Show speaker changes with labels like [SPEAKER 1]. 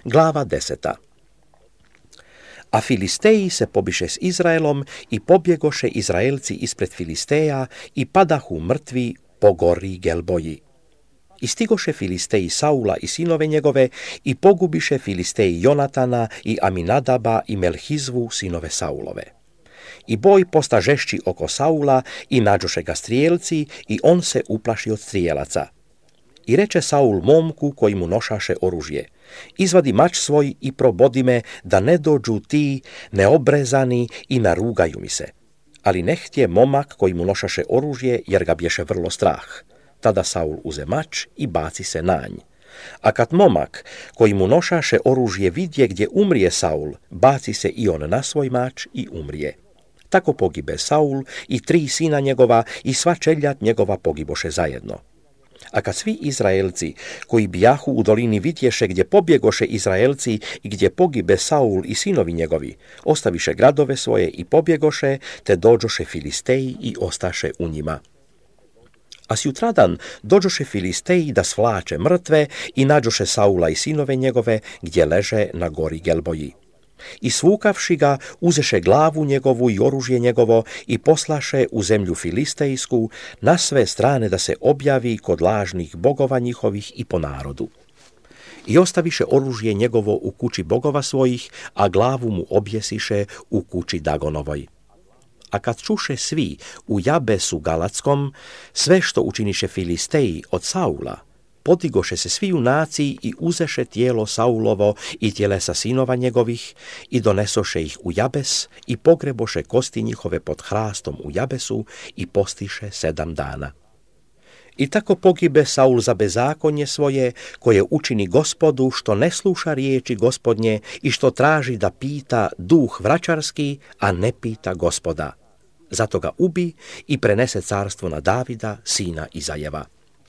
[SPEAKER 1] Glava 10. A Filisteji se pobiše s Izraelom i pobjegoše Izraelci ispred Filisteja i padahu mrtvi po gori Gelboji. I stigoše Filisteji Saula i sinove njegove i pogubiše Filisteji Jonatana i Aminadaba i Melhizvu sinove Saulove. I boj posta žešći oko Saula i nađoše ga strijelci i on se uplaši od strijelaca. I reče Saul momku koji mu nošaše oružje: izvadi mač svoj i probodi me da ne dođu ti neobrezani i narugaju mi se. Ali ne htje momak koji mu nošaše oružje jer ga bješe vrlo strah. Tada Saul uze mač i baci se na nj. A kad momak koji mu nošaše oružje vidje gdje umrije Saul, baci se i on na svoj mač i umrije. Tako pogibe Saul i 3 sina njegova i sva čeljad njegova pogiboše zajedno. A kad svi Izraelci koji bijahu u dolini vidješe gdje pobjegoše Izraelci i gdje pogibe Saul i sinovi njegovi, ostaviše gradove svoje i pobjegoše, te dođoše Filisteji i ostaše u njima. A sjutradan dođoše Filisteji da svlače mrtve i nađoše Saula i sinove njegove gdje leže na gori Gelboji. I svukavši ga, uzeše glavu njegovu i oružje njegovo i poslaše u zemlju filistejsku na sve strane da se objavi kod lažnih bogova njihovih i po narodu. I ostaviše oružje njegovo u kući bogova svojih, a glavu mu objesiše u kući Dagonovoj. A kad čuše svi u Jabesu Galackom sve što učiniše Filisteji od Saula, podigoše se svi junaci i uzeše tijelo Saulovo i tjelesa sinova njegovih i donesoše ih u Jabes i pogreboše kosti njihove pod hrastom u Jabesu i postiše 7 dana. I tako pogibe Saul za bezakonje svoje, koje učini Gospodu, što ne sluša riječi Gospodnje i što traži da pita duh vraćarski, a ne pita Gospoda. Zato ga ubi i prenese carstvo na Davida, sina Izajeva.